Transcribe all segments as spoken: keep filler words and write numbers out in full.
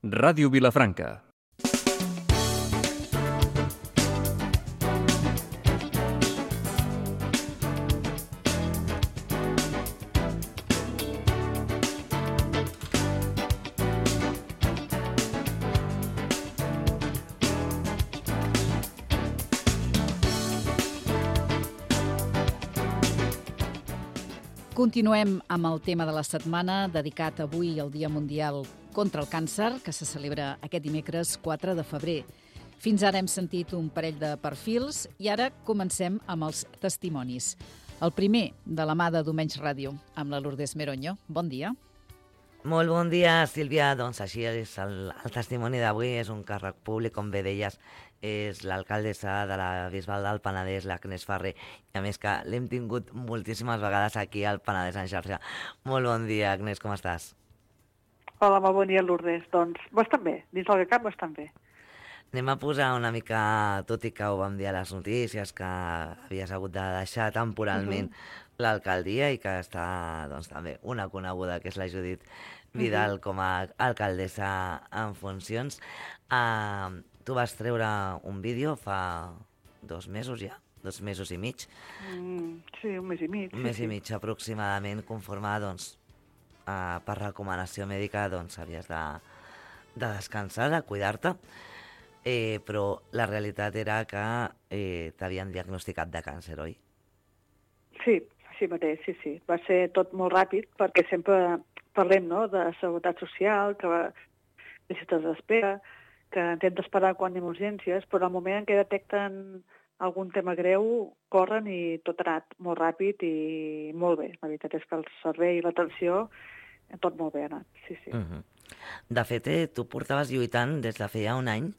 Ràdio Vilafranca. Continuem amb el tema de la setmana, dedicat avui al Dia Mundial contra el Càncer, que se celebra aquest dimecres quatre de febrer. Fins ara hem sentit un parell de perfils i ara comencem amb els testimonis. El primer, de la mà de Domenys Ràdio, amb la Lourdes Meronyo. Bon dia. Molt bon dia, Sílvia. Doncs així és, el, el testimoni d'avui és un càrrec públic, com bé deies, és l'alcaldessa de la Bisbal del Penedès, l'Agnès Ferrer, i a més que l'hem tingut moltíssimes vegades aquí al Penedès en xarxa. Molt bon dia, Agnès, com estàs? Hola, molt bon dia, Lourdes. Doncs bastant bé, dins del que cap bastant bé. Anem a posar una mica, tot i que ho vam dir a les notícies, que havies hagut de deixar temporalment uh-huh. l'alcaldia i que està doncs, també una coneguda, que és la Judit Vidal, uh-huh. com a alcaldessa en funcions. Uh, tu vas treure un vídeo fa dos mesos ja, dos mesos i mig. Mm, sí, un mes i mig. Un sí, mes sí. i mig aproximadament, conforme doncs, uh, per recomanació mèdica doncs, havies de, de descansar, de cuidar-te. Eh, però la realitat era que eh, t'havien diagnosticat de càncer, oi? Sí, així mateix, sí, sí. Va ser tot molt ràpid, perquè sempre parlem, no?, de seguretat social, que va de llistes d'espera, que hem d'esperar quan hi ha urgències, però al moment en què detecten algun tema greu, corren i tot ha anat molt ràpid i molt bé. La veritat és que el servei i l'atenció, tot molt bé ha anat, sí, sí. Uh-huh. De fet, eh, tu portaves lluitant des de feia un any,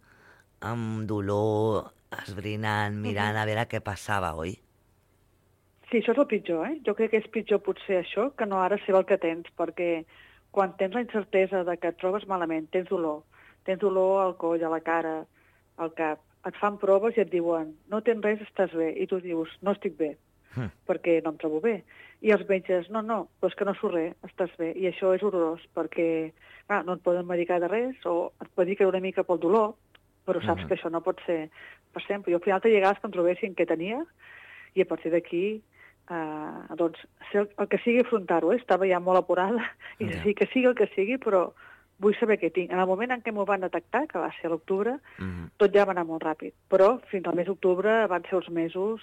amb dolor, esbrinant, mirant uh-huh. a veure què passava, oi? Sí, això és el pitjor, eh? Jo crec que és pitjor potser això que no ara saber el que tens, perquè quan tens la incertesa de que et trobes malament, tens dolor, tens dolor al coll, a la cara, al cap, et fan proves i et diuen no tens res, estàs bé, i tu dius no estic bé, uh-huh. perquè no em trobo bé. I els metges, no, no, però és que no surt res, estàs bé, i això és horrorós, perquè ah, no et poden medicar de res, o et pot dir que una mica pel dolor, però saps uh-huh. que això no pot ser per sempre. Jo al final te llegades que em trobessin què tenia i a partir d'aquí, eh, doncs, el, el que sigui afrontar-ho, eh? Estava ja molt apurada i yeah. sí que sigui el que sigui, però vull saber què tinc. En el moment en què m'ho van detectar, que va ser a l'octubre, uh-huh. tot ja va anar molt ràpid. Però fins al mes d'octubre van ser uns mesos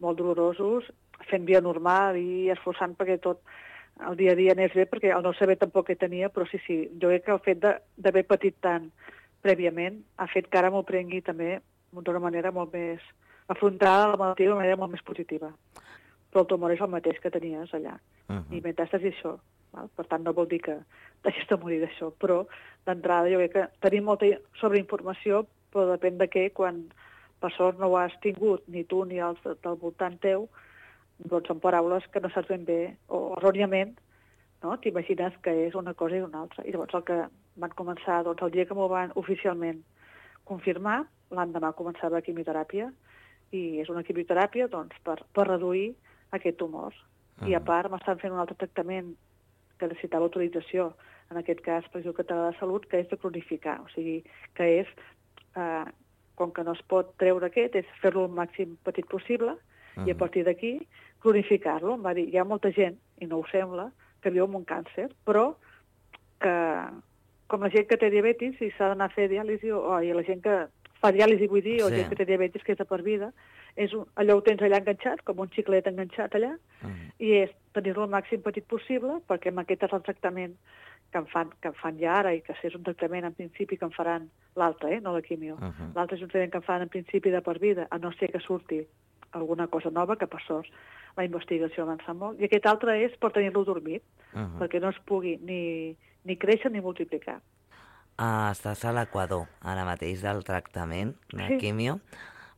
molt dolorosos, fent via normal i esforçant perquè tot el dia a dia anés bé, perquè el no saber tampoc què tenia, però sí, sí, jo crec que el fet d'haver patit tant prèviament ha fet que ara m'ho prengui també d'una manera molt més afrontar la malaltia d'una manera molt més positiva. Però el tumor és el mateix que tenies allà. Uh-huh. I metàstasi això. Val? Per tant, no vol dir que deixis de morir d'això. Però, d'entrada, jo crec que tenim molta sobreinformació, però depèn de què, quan per sort no ho has tingut, ni tu ni els del voltant teu, doncs són paraules que no saps ben bé, o erròniament, no? T'imagines que és una cosa i una altra. I llavors el que van començar, doncs el dia que m'ho van oficialment confirmar, l'endemà començava la quimioteràpia, i és una quimioteràpia doncs, per, per reduir aquest tumor. Uh-huh. I a part m'estan fent un altre tractament que necessitava autorització, en aquest cas per el Català de Salut, que és de cronificar, o sigui, que és, eh, com que no es pot treure aquest, és fer-lo el màxim petit possible, uh-huh. i a partir d'aquí cronificar-lo. Em va dir, hi ha molta gent, i no ho sembla, que viu amb un càncer, però que, com la gent que té diabetis i s'ha d'anar a fer diàlisi, o i la gent que fa diàlisi, vull dir, o sí. gent que té diabetis que és de per vida, és un, allò ho tens allà enganxat, com un xiclet enganxat allà, uh-huh. i és tenir-lo el màxim petit possible, perquè amb aquest és el tractament que em fan, que em fan ja ara, i que és un tractament en principi que em faran l'altre, eh, no la quimio. Uh-huh. L'altre és un tractament que em fan en principi de per vida, a no ser que surti alguna cosa nova, que per sort la investigació avança molt, i aquest altre és per tenir-lo dormit, uh-huh. perquè no es pugui ni, ni créixer ni multiplicar. Ah, estàs a l'equador ara mateix del tractament de sí. quimio.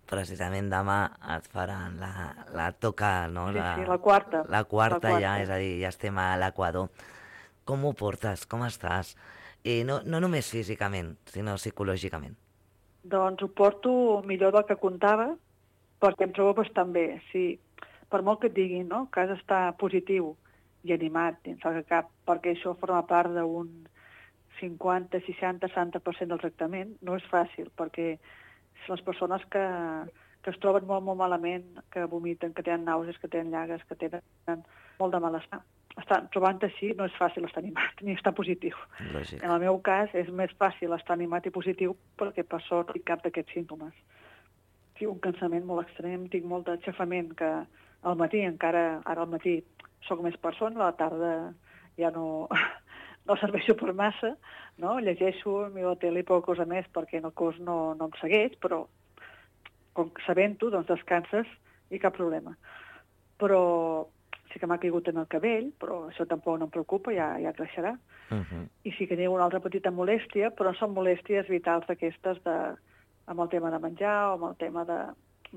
Precisament demà et faran la, la toca, no? Sí, la, sí, la quarta. La quarta, la quarta ja, és a dir, ja estem a l'equador. Com ho portes? Com estàs? I no, no només físicament, sinó psicològicament. Doncs ho porto millor del que comptava, perquè em trobo bastant bé. Sí, per molt que et diguin, no?, que has d'estar positiu i animat dins el cap, perquè això forma part d'un cinquanta, seixanta, setanta per cent del tractament no és fàcil, perquè les persones que, que es troben molt, molt malament, que vomiten, que tenen nàusees, que tenen llagues, que tenen molt de malestar, estar trobant així no és fàcil estar animat ni estar positiu. Lògic. En el meu cas és més fàcil estar animat i positiu perquè per sort tinc cap d'aquests símptomes. Tinc un cansament molt extrem, tinc molt d'aixafament que al matí encara, ara al matí soc més persona, a la tarda ja no, no serveixo per massa, no? Llegeixo, miro la tele i poca cosa més perquè el cos no, no em segueix, però com sabent-ho, doncs descanses i cap problema. Però sí que m'ha caigut en el cabell, però això tampoc no em preocupa, ja, ja creixerà. Uh-huh. I sí que tinc una altra petita molèstia, però són molèsties vitals d'aquestes de, amb el tema de menjar o amb el tema de,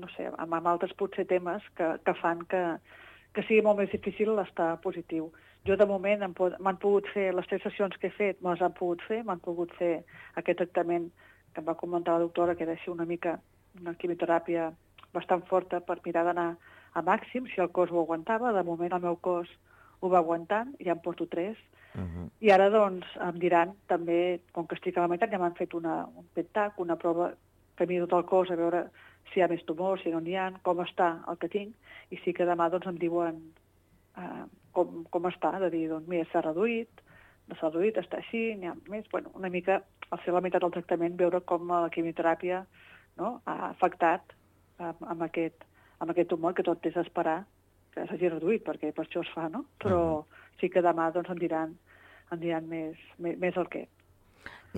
no sé, amb, amb altres potser temes que, que fan que, que sigui molt més difícil estar positiu. Jo de moment m'han pogut fer, les tres sessions que he fet, me les han pogut fer, m'han pogut fer aquest tractament que em va comentar la doctora, que era així una mica una quimioteràpia bastant forta per mirar d'anar a màxim, si el cos ho aguantava. De moment el meu cos ho va aguantant, ja em porto tres. Uh-huh. I ara, doncs, em diran també, com que estic a la meitat, ja m'han fet una, un P E T-TAC, una prova que miro tot el cos a veure si hi ha més tumors, si no n'hi ha, com està el que tinc, i sí que demà, doncs, em diuen uh, com, com està, de dir, doncs, mira, s'ha reduït, no s'ha reduït, està així, n'hi ha més. Bueno, una mica, al fer la meitat del tractament, veure com la quimioteràpia, no?, ha afectat amb, amb aquest amb aquest tumor, que tot és esperar que s'hagi reduït, perquè per això es fa, no? Però uh-huh. sí que demà doncs, em diran, em diran més, més, més el què.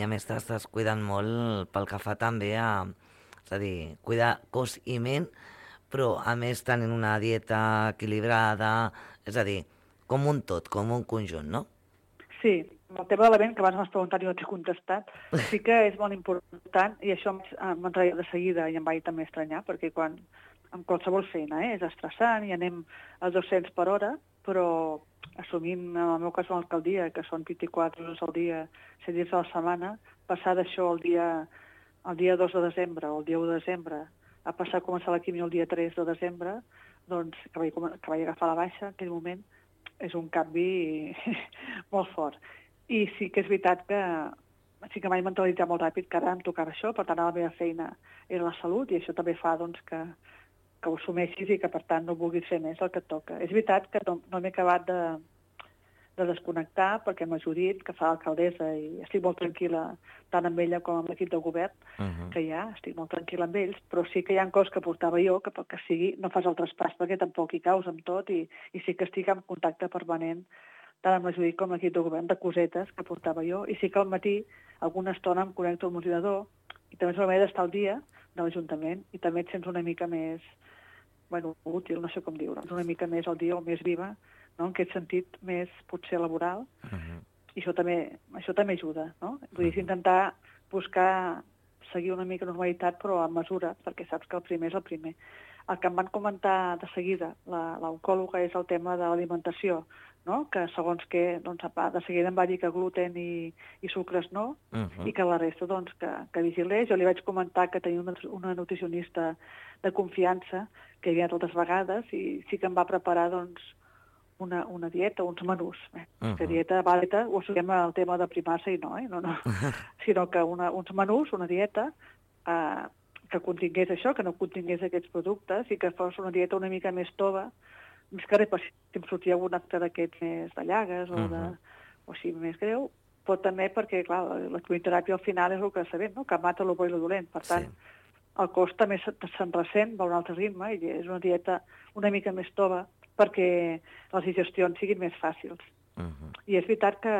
I a més t'estàs cuidant molt pel que fa també a, és a dir, cuidar cos i ment, però a més tenint una dieta equilibrada, és a dir, com un tot, com un conjunt, no? Sí, el tema de la ment, que abans m'has preguntat i no t'he contestat, sí que és molt important, i això m'entraia de seguida i em vaig també estranyar, perquè quan amb qualsevol feina, eh? És estressant i anem a dos-cents per hora, però assumint, en el meu cas, una alcaldia, que són vint-i-quatre hores al dia, set dies a la setmana, passar d'això el dia, el dia dos de desembre o el dia u de desembre, a passar a començar la quimio el dia tres de desembre, doncs, que vaig, que vaig agafar la baixa en aquell moment, és un canvi molt fort. I sí que és veritat que sí que m'he mentalitzat molt ràpid que ara em tocava això, per tant, la meva feina era la salut, i això també fa, doncs, que que ho assumeixis i que, per tant, no vulguis fer més el que et toca. És veritat que no, no m'he acabat de, de desconnectar perquè m'ha ajudit, que fa l'alcaldessa, i estic molt tranquil·la tant amb ella com amb l'equip de govern, uh-huh. que hi ha, estic molt tranquil·la amb ells, però sí que hi ha coses que portava jo, que pel que sigui no fas el traspàs perquè tampoc hi caus amb tot, i, i sí que estic en contacte permanent tant amb la Judit com l'equip de govern de cosetes que portava jo, i sí que al matí alguna estona em connecto al ordinador i també és una manera d'estar al dia de l'Ajuntament, i també et sents una mica més, bueno, útil, no sé com dir-ho, una mica més al dia o més viva, no? En aquest sentit més potser laboral, uh-huh. i això també, això també ajuda, no? Vull dir, intentar buscar, seguir una mica normalitat, però amb mesura, perquè saps que el primer és el primer. El que em van comentar de seguida, l'oncòloga, és el tema de l'alimentació, no? Que segons que, doncs, de seguida em va dir que gluten i, i sucres no, uh-huh. i que la resta, doncs, que, que vigilés. Jo li vaig comentar que tenia una, una nutricionista de confiança que hi havia totes vegades, i sí que em va preparar, doncs, una, una dieta, uns menús. Eh? Uh-huh. Que dieta, dieta, ho assumim al tema de primar-se i no, eh? no, no. sinó que una, uns menús, una dieta, eh, que contingués això, que no contingués aquests productes, i que fos una dieta una mica més tova, més que res, si em sortia algun acte d'aquests més de llagues o, de, uh-huh. o així més greu, però també perquè, clar, la, la quimioteràpia al final és el que sabem, no? Que mata el bo i el dolent. Per tant, sí. el cos també se'n ressent, va a un altre ritme, i és una dieta una mica més tova perquè les digestions siguin més fàcils. Uh-huh. I és veritat que,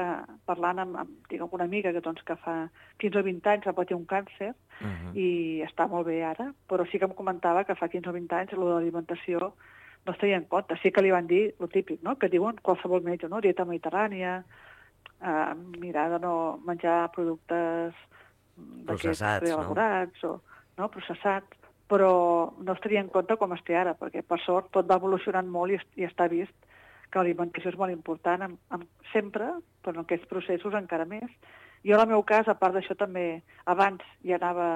parlant amb, amb, tinc alguna amiga que, doncs, que fa quinze o vint anys va patir un càncer, uh-huh. i està molt bé ara, però sí que em comentava que fa quinze o vint anys lo de l'alimentació no es tenia en compte. Sí que li van dir el típic, no? Que diuen qualsevol metge, no? Dieta mediterrània, eh, mirar de no menjar productes processats, preelaborats, no? o no? processats, però no es tenia en compte com es té ara, perquè per sort tot va evolucionant molt i, i està vist que l'alimentació és molt important, amb, amb, sempre, però en aquests processos encara més. Jo, en el meu cas, a part d'això, també abans ja anava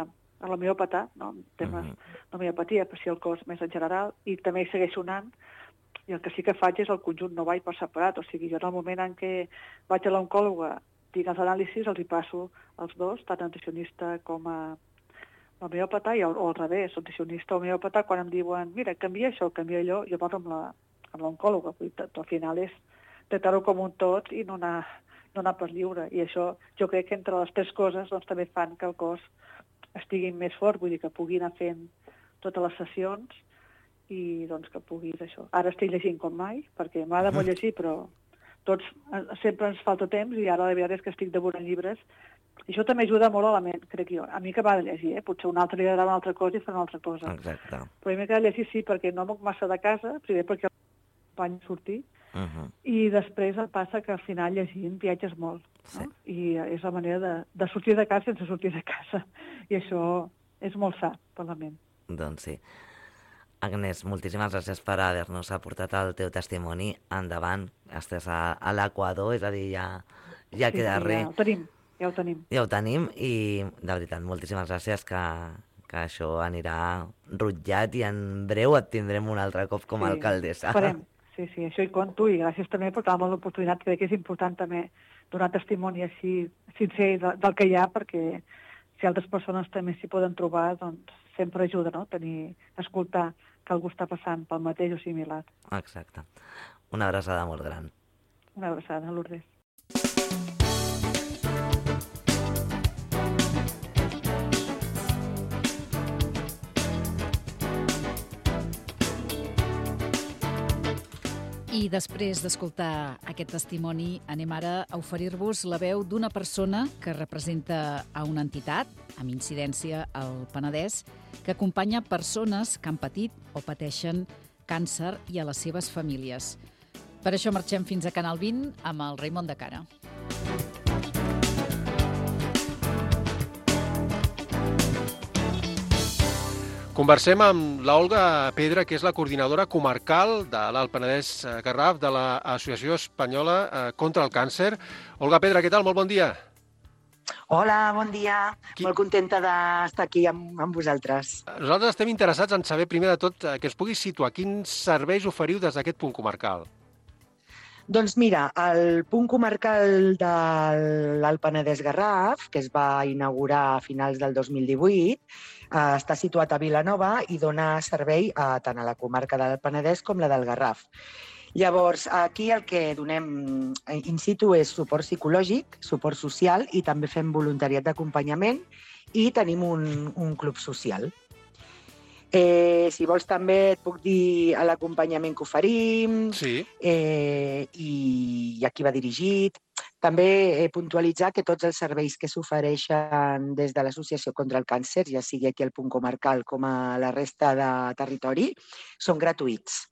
a l'homeòpata, no? En temes uh-huh. d'homeopatia, per si el cos més en general, i també hi segueixo anant, i el que sí que faig és el conjunt, no vaig per separat, o sigui, jo en el moment en què vaig a l'oncòloga tinc els anàlisis, els hi passo els dos, tant el nutricionista com a l'homeòpata, o al revés, el nutricionista o homeòpata, quan em diuen, mira, canvia això, canvia allò, jo parlo amb la amb l'oncòloga, al final és tractar-ho com un tot i no anar, no anar per lliure. I això, jo crec que entre les tres coses doncs, també fan que el cos estigui més fort, vull dir que pugui anar fent totes les sessions i doncs que puguis això. Ara estic llegint com mai, perquè m'agrada molt llegir, però tots sempre ens falta temps i ara la veritat és que estic devorant llibres. I això també ajuda molt a la ment, crec jo. A mi que m'agrada llegir, eh? Potser un altre li agradarà una altra cosa i farà una altra cosa. Exacte. Però a mi m'agrada llegir sí, perquè no moc massa de casa, primer perquè vaig sortir, Uh -huh. i després em passa que al final llegint viatges molt. Sí. No? I és la manera de, de sortir de casa sense sortir de casa. I això és molt sa per la ment. Doncs sí. Agnès, moltíssimes gràcies per haver-nos aportat el teu testimoni. Endavant, estàs a, a l'Equador, és a dir, ja, ja Sí, queda sí, res. ja ho tenim, ja ho tenim. Ja ho tenim i, de veritat, moltíssimes gràcies que, que això anirà rutllat i en breu et tindrem un altre cop com a Sí, alcaldessa. Esperem. Sí, sí, això hi compto i gràcies també per donar-me l'oportunitat. Crec que és important també donar testimoni així sincer del, del que hi ha, perquè si altres persones també s'hi poden trobar, doncs sempre ajuda, no?, tenir, escoltar que algú està passant pel mateix o similar. Exacte. Una abraçada molt gran. Una abraçada, Lourdes. I després d'escoltar aquest testimoni, anem ara a oferir-vos la veu d'una persona que representa a una entitat, amb incidència al Penedès, que acompanya persones que han patit o pateixen càncer i a les seves famílies. Per això marxem fins a Canal vint amb el Raimon de Cara. Conversem amb l'Olga Pedra, que és la coordinadora comarcal de l'Alt Penedès-Garraf de l'Associació Espanyola contra el Càncer. Olga Pedra, què tal? Molt bon dia. Hola, bon dia. Qui... Molt contenta d'estar aquí amb, amb vosaltres. Nosaltres estem interessats en saber, primer de tot, que es pugui situar quins serveis oferiu des d'aquest punt comarcal. Doncs mira, el punt comarcal de l'Alt Penedès-Garraf, que es va inaugurar a finals del dos mil divuit, eh, està situat a Vilanova i dona servei a, tant a la comarca del Penedès com la del Garraf. Llavors, aquí el que donem in situ és suport psicològic, suport social i també fem voluntariat d'acompanyament i tenim un, un club social. Eh, si vols també et puc dir l'acompanyament que oferim sí. eh, i, i a qui va dirigit. També eh, puntualitzar que tots els serveis que s'ofereixen des de l'Associació contra el Càncer, ja sigui aquí al punt comarcal com a la resta de territori, són gratuïts.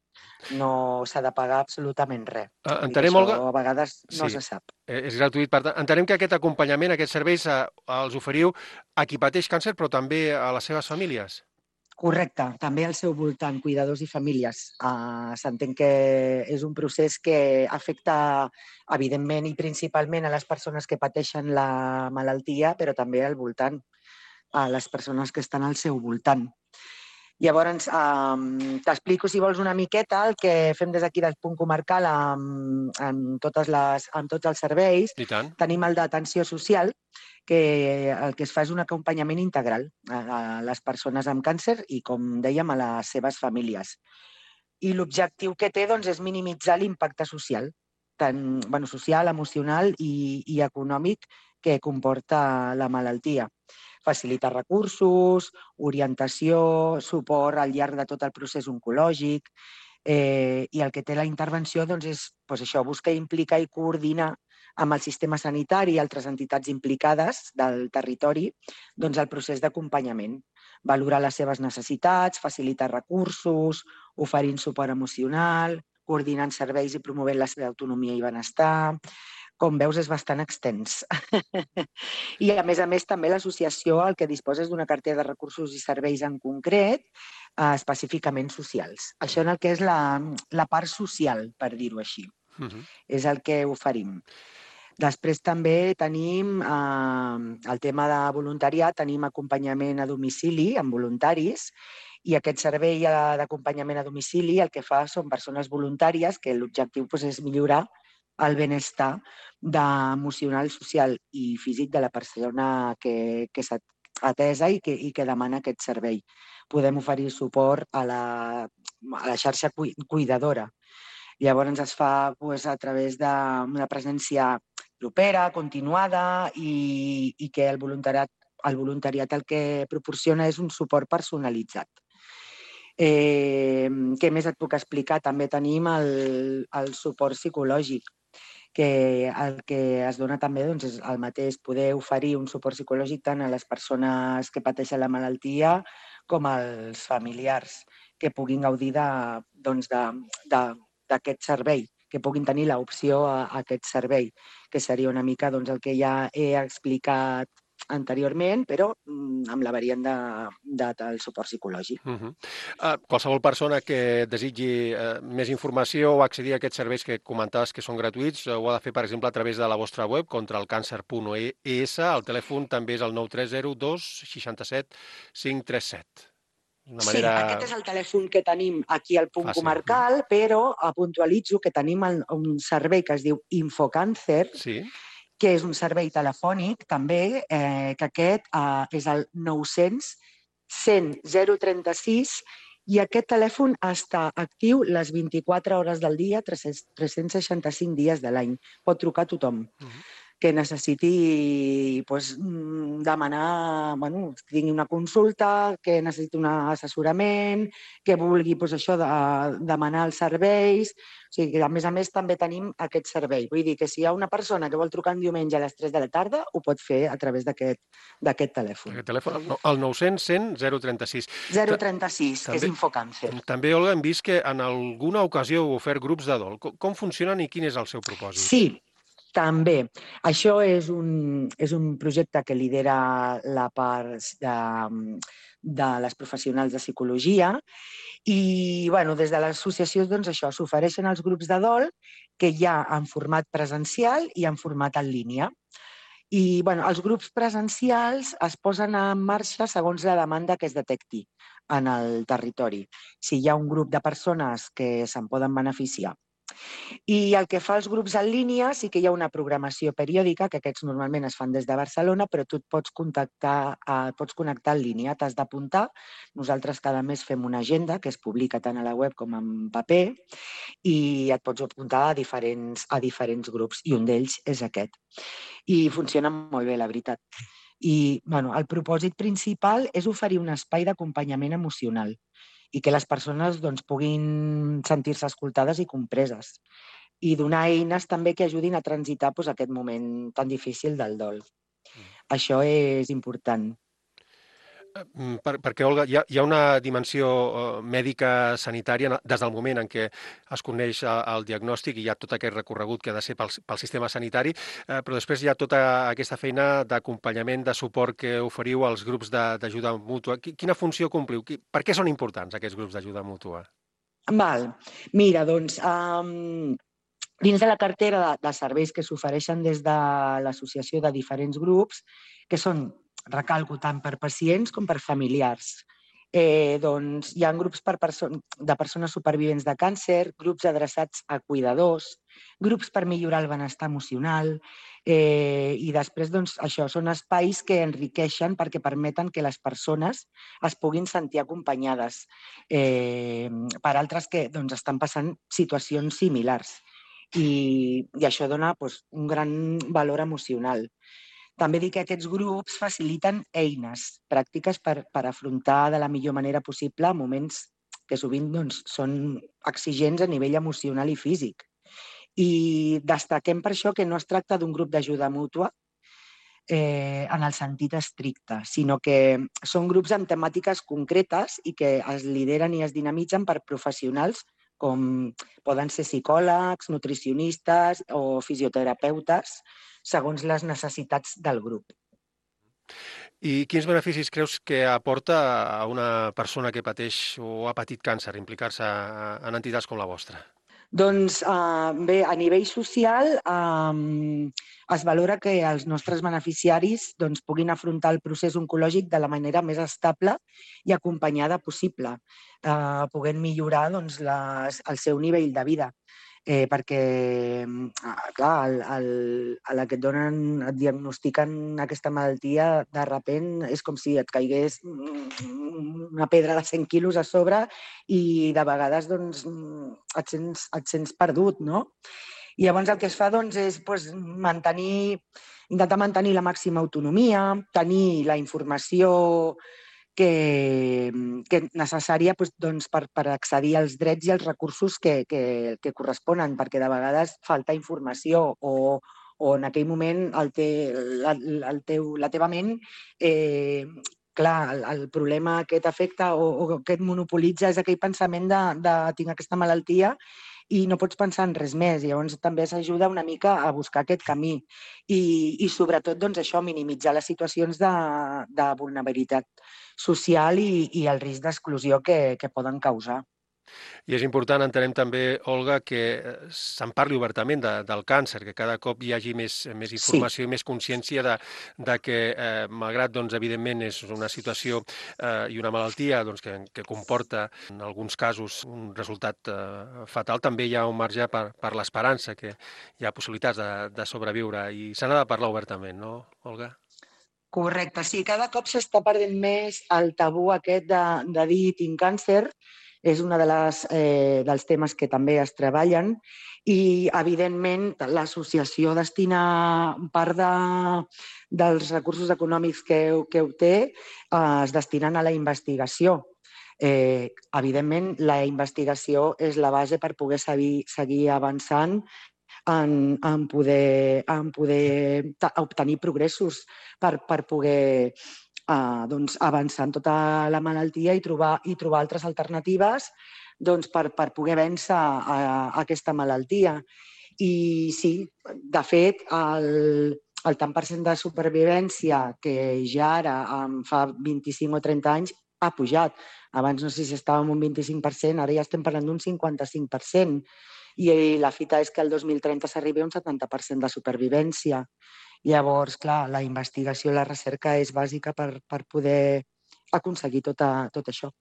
No s'ha de pagar absolutament res. Uh, entenem, això Olga... a vegades no sí, se sap. És gratuït. Per tant, entenem que aquest acompanyament, aquests serveis, eh, els oferiu a qui pateix càncer, però també a les seves famílies. Correcte, també al seu voltant, cuidadors i famílies. Uh, S'entén que és un procés que afecta, evidentment i principalment, a les persones que pateixen la malaltia, però també al voltant, a les persones que estan al seu voltant. Llavors, eh, t'explico, si vols, una miqueta el que fem des d'aquí del punt comarcal amb, amb, totes les, amb tots els serveis. I tant. Tenim el d'atenció social, que el que es fa és un acompanyament integral a les persones amb càncer i, com dèiem, a les seves famílies. I l'objectiu que té, doncs, és minimitzar l'impacte social, tant bueno, social, emocional i, i econòmic que comporta la malaltia. Facilitar recursos, orientació, suport al llarg de tot el procés oncològic, eh, i el que té la intervenció doncs, és doncs, això, buscar implicar i coordinar amb el sistema sanitari i altres entitats implicades del territori doncs, el procés d'acompanyament, valorar les seves necessitats, facilitar recursos, oferint suport emocional, coordinant serveis i promovent la seva autonomia i benestar. Com veus, és bastant extens. I, a més a més, també l'associació el que disposa és d'una cartera de recursos i serveis en concret, eh, específicament socials. Això en el que és la, la part social, per dir-ho així. Uh-huh. És el que oferim. Després també tenim eh, el tema de voluntariat, tenim acompanyament a domicili amb voluntaris, i aquest servei d'acompanyament a domicili el que fa són persones voluntàries que l'objectiu doncs, és millorar el benestar emocional, social i físic de la persona que, que s'ha atesa i que, i que demana aquest servei. Podem oferir suport a la, a la xarxa cuidadora. Llavors es fa pues, a través d'una presència propera, continuada i, i que el voluntariat, el voluntariat el que proporciona és un suport personalitzat. Eh, què més et puc explicar? També tenim el, el suport psicològic, que el que es dona també doncs, és el mateix, poder oferir un suport psicològic tant a les persones que pateixen la malaltia com als familiars que puguin gaudir de, doncs, de, de, d'aquest servei, que puguin tenir l'opció a, a aquest servei, que seria una mica doncs, el que ja he explicat anteriorment, però amb la variant de, de, del suport psicològic. Uh -huh. uh, qualsevol persona que desitgi uh, més informació o accedir a aquests serveis que comentaves que són gratuïts, uh, ho ha de fer, per exemple, a través de la vostra web, contralcàncer punt es. El telèfon també és el nou tres zero dos seixanta set cinc trenta set. Una manera... Sí, aquest és el telèfon que tenim aquí al punt fàcil. Comarcal, però puntualitzo que tenim el, un servei que es diu Infocàncer, sí. que és un servei telefònic també, eh, que aquest eh, és el nou-cents cent zero trenta sis i aquest telèfon està actiu les vint-i-quatre hores del dia, tres-cents seixanta-cinc dies de l'any. Pot trucar a tothom. Uh-huh. que necessiti pues, demanar, bueno, que tingui una consulta, que necessiti un assessorament, que vulgui pues, això de demanar els serveis. O sigui, que a més a més també tenim aquest servei. Vull dir que si hi ha una persona que vol trucar un diumenge a les tres de la tarda, ho pot fer a través d'aquest telèfon. Aquest telèfon, el nou-cents cent zero trenta sis. zero trenta sis, que és Infocàncer. També, Olga, hem vist que en alguna ocasió heu ofert grups de dol. Com funcionen i quin és el seu propòsit? Sí, també. Això és un, és un projecte que lidera la part de, de les professionals de psicologia i bueno, des de l'associació doncs, això s'ofereixen els grups de dol que hi ha en format presencial i en format en línia. I bueno, els grups presencials es posen en marxa segons la demanda que es detecti en el territori. Si hi ha un grup de persones que se'n poden beneficiar. I el que fa els grups en línia sí que hi ha una programació periòdica, que aquests normalment es fan des de Barcelona, però tu et pots contactar, et pots connectar en línia, t'has d'apuntar. Nosaltres cada mes fem una agenda que es publica tant a la web com en paper i et pots apuntar a diferents, a diferents grups i un d'ells és aquest. I funciona molt bé, la veritat. I bueno, el propòsit principal és oferir un espai d'acompanyament emocional i que les persones doncs, puguin sentir-se escoltades i compreses. I donar eines també que ajudin a transitar doncs, aquest moment tan difícil del dol. Mm. Això és important. Per, perquè, Olga, hi ha, hi ha una dimensió uh, mèdica sanitària des del moment en què es coneix el diagnòstic i hi ha tot aquest recorregut que ha de ser pel, pel sistema sanitari, uh, però després hi ha tota aquesta feina d'acompanyament, de suport que oferiu als grups d'ajuda mútua. Quina funció compliu? Per què són importants aquests grups d'ajuda mútua? Val. Mira, doncs, um, dins de la cartera de, de serveis que s'ofereixen des de l'associació de diferents grups, que són recalco tant per pacients com per familiars. Eh, doncs, hi ha grups per perso de persones supervivents de càncer, grups adreçats a cuidadors, grups per millorar el benestar emocional eh, i després doncs, això són espais que enriqueixen perquè permeten que les persones es puguin sentir acompanyades eh, per altres que doncs, estan passant situacions similars i, i això dona doncs, un gran valor emocional. També dic que aquests grups faciliten eines pràctiques per, per afrontar de la millor manera possible moments que sovint doncs, són exigents a nivell emocional i físic. I destaquem per això que no es tracta d'un grup d'ajuda mútua eh, en el sentit estricte, sinó que són grups amb temàtiques concretes i que es lideren i es dinamitzen per professionals com poden ser psicòlegs, nutricionistes o fisioterapeutes, segons les necessitats del grup. I quins beneficis creus que aporta a una persona que pateix o ha patit càncer implicar-se en entitats com la vostra? Doncs eh, bé, a nivell social eh, es valora que els nostres beneficiaris doncs, puguin afrontar el procés oncològic de la manera més estable i acompanyada possible, eh, podent millorar doncs, les, el seu nivell de vida. eh, perquè, clar, el, el, a la que et donen, et diagnostiquen aquesta malaltia, de repent és com si et caigués una pedra de cent quilos a sobre i de vegades doncs, et, sents, et sents perdut, no? I llavors el que es fa doncs, és doncs, mantenir, intentar mantenir la màxima autonomia, tenir la informació que, que és necessària doncs, doncs, per, per accedir als drets i als recursos que, que, que corresponen, perquè de vegades falta informació o, o en aquell moment el te, la, el teu, la teva ment, eh, clar, el, el problema que t'afecta o, o que et monopolitza és aquell pensament de, de tinc aquesta malaltia i no pots pensar en res més. Llavors també s'ajuda una mica a buscar aquest camí i, i sobretot doncs, això, minimitzar les situacions de, de vulnerabilitat social i, i el risc d'exclusió que, que poden causar. I és important, entenem també, Olga, que se'n parli obertament de, del càncer, que cada cop hi hagi més, més informació sí. i més consciència de, de que, eh, malgrat, doncs, evidentment, és una situació eh, i una malaltia doncs, que, que comporta, en alguns casos, un resultat eh, fatal, també hi ha un marge per, per l'esperança, que hi ha possibilitats de, de sobreviure, i se n'ha de parlar obertament, no, Olga? Correcte, sí, cada cop s'està perdent més el tabú aquest de, de dir tinc càncer. És un de les, eh, dels temes que també es treballen i, evidentment, l'associació destina part de, dels recursos econòmics que, que obté eh, es destinen a la investigació. Eh, evidentment, la investigació és la base per poder seguir, seguir avançant en, en poder, en poder obtenir progressos per, per poder Uh, doncs, avançar en tota la malaltia i trobar, i trobar altres alternatives doncs, per, per poder vèncer a, a aquesta malaltia. I sí, de fet, el, el tant per cent de supervivència que ja ara, fa vint-i-cinc o trenta anys, ha pujat. Abans no sé si estàvem un vint-i-cinc per cent, ara ja estem parlant d'un cinquanta-cinc per cent. I la fita és que el dos mil trenta s'arribi a un setanta per cent de supervivència. Llavors, clar, la investigació i la recerca és bàsica per, per poder aconseguir tot, a, tot això.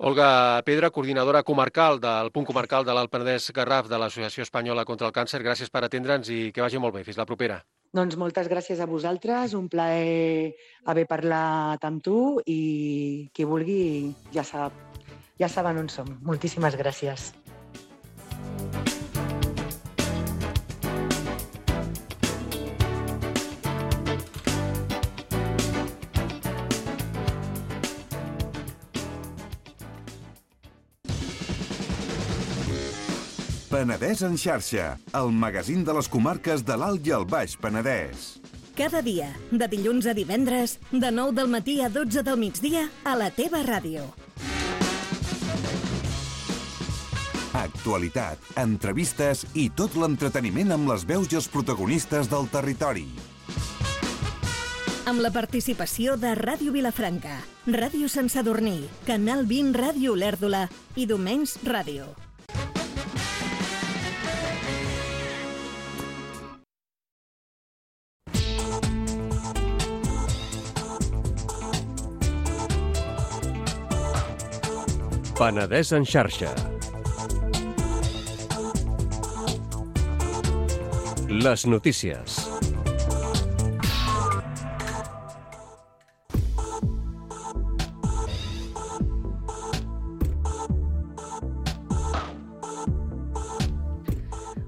Olga Pedra, coordinadora comarcal del punt comarcal de l'Alt Penedès Garraf de l'Associació Espanyola contra el Càncer, gràcies per atendre'ns i que vagi molt bé. Fins la propera. Doncs moltes gràcies a vosaltres, un plaer haver parlat amb tu i qui vulgui ja sap, ja saben on som. Moltíssimes gràcies. Penedès en xarxa, el magazín de les comarques de l'Alt i el Baix Penedès. Cada dia, de dilluns a divendres, de nou del matí a dotze del migdia, a la teva ràdio. Actualitat, entrevistes i tot l'entreteniment amb les veus i els protagonistes del territori. Amb la participació de Ràdio Vilafranca, Ràdio Sant Sadurní, Canal vint Ràdio Olèrdola i Domenys Ràdio. Penedès en xarxa. Les notícies.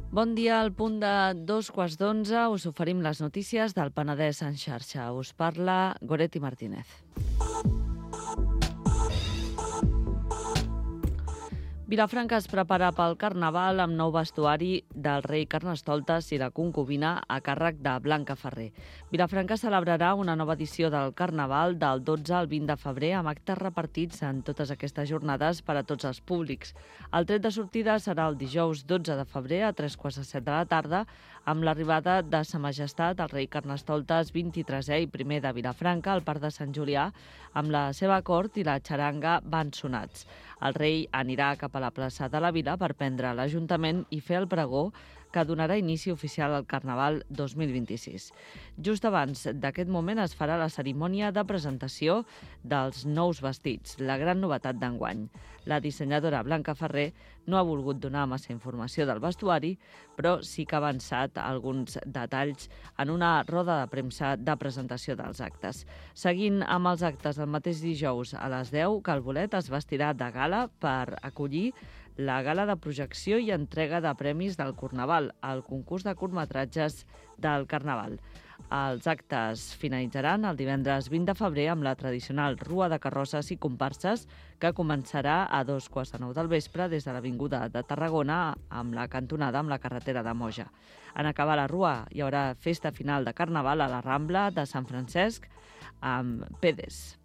Bon dia, al punt de dos quarts d'onze us oferim les notícies del Penedès en xarxa. Us parla Goretti Martínez. Vilafranca es prepara pel Carnaval amb nou vestuari del rei Carnestoltes i la concubina a càrrec de Blanca Ferrer. Vilafranca celebrarà una nova edició del Carnaval del dotze al vint de febrer amb actes repartits en totes aquestes jornades per a tots els públics. El tret de sortida serà el dijous dotze de febrer a tres quarts de set de la tarda amb l'arribada de Sa Majestat, el rei Carnestoltes vint-i-tresè i primer de Vilafranca al Parc de Sant Julià amb la seva cort i la xaranga van sonats. El rei anirà cap a la plaça de la Vila per prendre l'Ajuntament i fer el pregó que donarà inici oficial al Carnaval dos mil vint-i-sis. Just abans d'aquest moment es farà la cerimònia de presentació dels nous vestits, la gran novetat d'enguany. La dissenyadora Blanca Ferrer no ha volgut donar massa informació del vestuari, però sí que ha avançat alguns detalls en una roda de premsa de presentació dels actes. Seguint amb els actes el mateix dijous a les deu, Calbolet es vestirà de gala per acollir la gala de projecció i entrega de premis del Carnaval, el concurs de curtmetratges del Carnaval. Els actes finalitzaran el divendres vint de febrer amb la tradicional rua de carrosses i comparses que començarà a dos quarts de nou del vespre des de l'Avinguda de Tarragona amb la cantonada amb la carretera de Moja. En acabar la rua hi haurà festa final de Carnaval a la Rambla de Sant Francesc amb Pedes.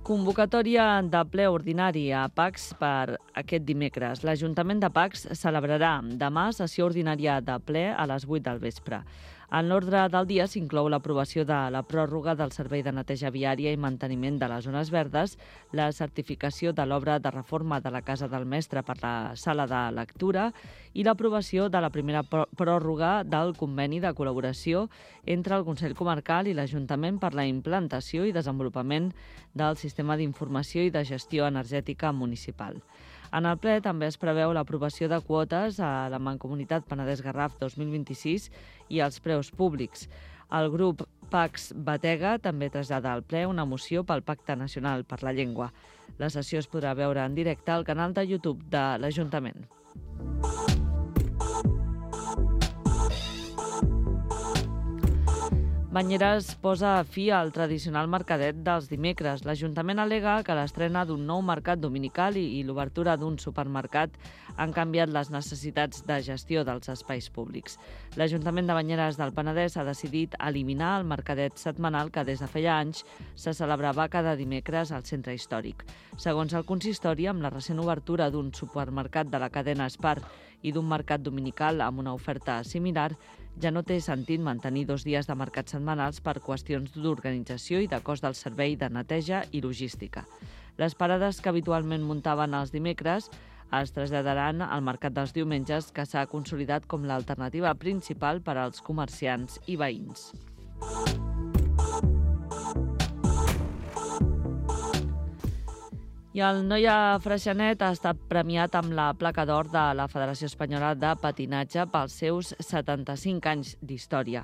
Convocatòria de ple ordinari a Pacs per aquest dimecres. L'Ajuntament de Pacs celebrarà demà sessió ordinària de ple a les vuit del vespre. En l'ordre del dia s'inclou l'aprovació de la pròrroga del servei de neteja viària i manteniment de les zones verdes, la certificació de l'obra de reforma de la Casa del Mestre per la sala de lectura i l'aprovació de la primera pròrroga del conveni de col·laboració entre el Consell Comarcal i l'Ajuntament per la implantació i desenvolupament del sistema d'informació i de gestió energètica municipal. En el ple també es preveu l'aprovació de quotes a la Mancomunitat Penedès-Garraf dos mil vint-i-sis i els preus públics. El grup Pacs Batega també trasllada al ple una moció pel Pacte Nacional per la Llengua. La sessió es podrà veure en directe al canal de YouTube de l'Ajuntament. Banyeres posa fi al tradicional mercadet dels dimecres. L'Ajuntament al·lega que l'estrena d'un nou mercat dominical i l'obertura d'un supermercat han canviat les necessitats de gestió dels espais públics. L'Ajuntament de Banyeres del Penedès ha decidit eliminar el mercadet setmanal que des de feia anys se celebrava cada dimecres al centre històric. Segons el consistori, amb la recent obertura d'un supermercat de la cadena Spar i d'un mercat dominical amb una oferta similar, ja no té sentit mantenir dos dies de mercat setmanals per qüestions d'organització i de cost del servei de neteja i logística. Les parades que habitualment muntaven els dimecres es traslladaran al mercat dels diumenges, que s'ha consolidat com l'alternativa principal per als comerciants i veïns. I el Noia Freixenet ha estat premiat amb la placa d'or de la Federació Espanyola de Patinatge pels seus setanta-cinc anys d'història.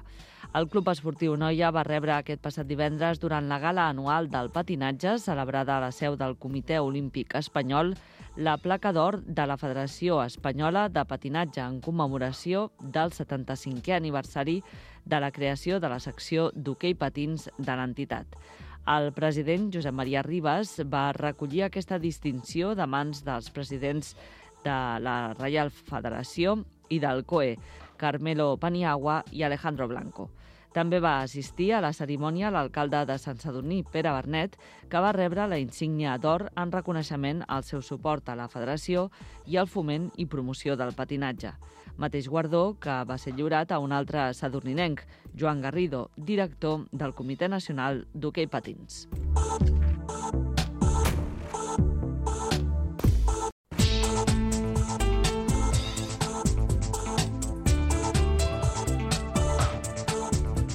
El Club Esportiu Noia va rebre aquest passat divendres, durant la gala anual del patinatge, celebrada a la seu del Comitè Olímpic Espanyol, la placa d'or de la Federació Espanyola de Patinatge en commemoració del setanta-cinquè aniversari de la creació de la secció d'hoquei patins de l'entitat. El president Josep Maria Ribas va recollir aquesta distinció de mans dels presidents de la Reial Federació i del C O E, Carmelo Paniagua i Alejandro Blanco. També va assistir a la cerimònia l'alcalde de Sant Sadurní, Pere Bernet, que va rebre la insígnia d'or en reconeixement al seu suport a la federació i al foment i promoció del patinatge. Mateix guardó que va ser lliurat a un altre sadurninenc, Joan Garrido, director del Comitè Nacional d'Hoquei Patins.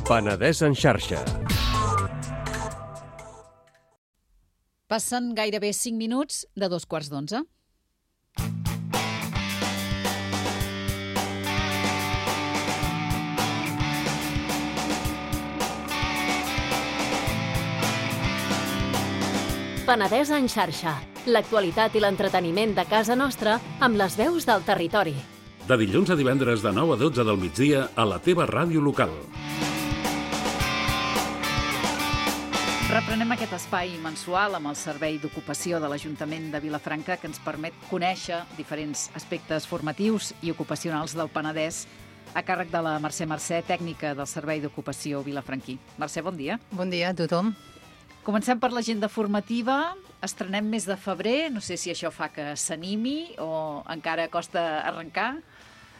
Penedès en xarxa. Passen gairebé cinc minuts de dos quarts d'onze. Penedès en xarxa. L'actualitat i l'entreteniment de casa nostra amb les veus del territori. De dilluns a divendres de nou a dotze del migdia a la teva ràdio local. Reprenem aquest espai mensual amb el Servei d'Ocupació de l'Ajuntament de Vilafranca, que ens permet conèixer diferents aspectes formatius i ocupacionals del Penedès a càrrec de la Mercè Mercè, tècnica del Servei d'Ocupació vilafranquí. Mercè, bon dia. Bon dia a tothom. Comencem per l'agenda formativa. Estrenem mes de febrer. No sé si això fa que s'animi o encara costa arrencar.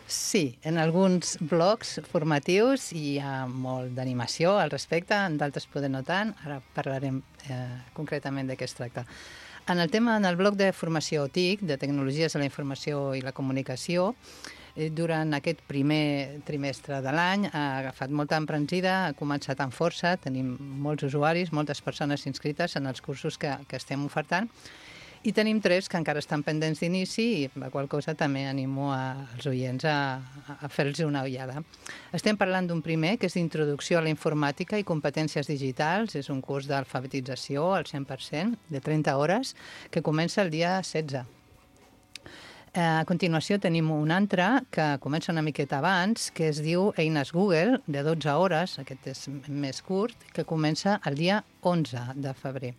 Sí, en alguns blocs formatius hi ha molt d'animació al respecte, en d'altres poder no tant. Ara parlarem eh, concretament de què es tracta. En el tema, en el bloc de formació T I C, de Tecnologies de la Informació i la Comunicació, durant aquest primer trimestre de l'any ha agafat molta embranzida, ha començat amb força, tenim molts usuaris, moltes persones inscrites en els cursos que, que estem ofertant, i tenim tres que encara estan pendents d'inici i la qual cosa també animo als oients a, a fer-los una ullada. Estem parlant d'un primer, que és d'Introducció a la Informàtica i Competències Digitals. És un curs d'alfabetització al cent per cent, de trenta hores, que comença el dia setze. A continuació tenim un altre que comença una miqueta abans, que es diu Eines Google, de dotze hores, aquest és més curt, que comença el dia onze de febrer.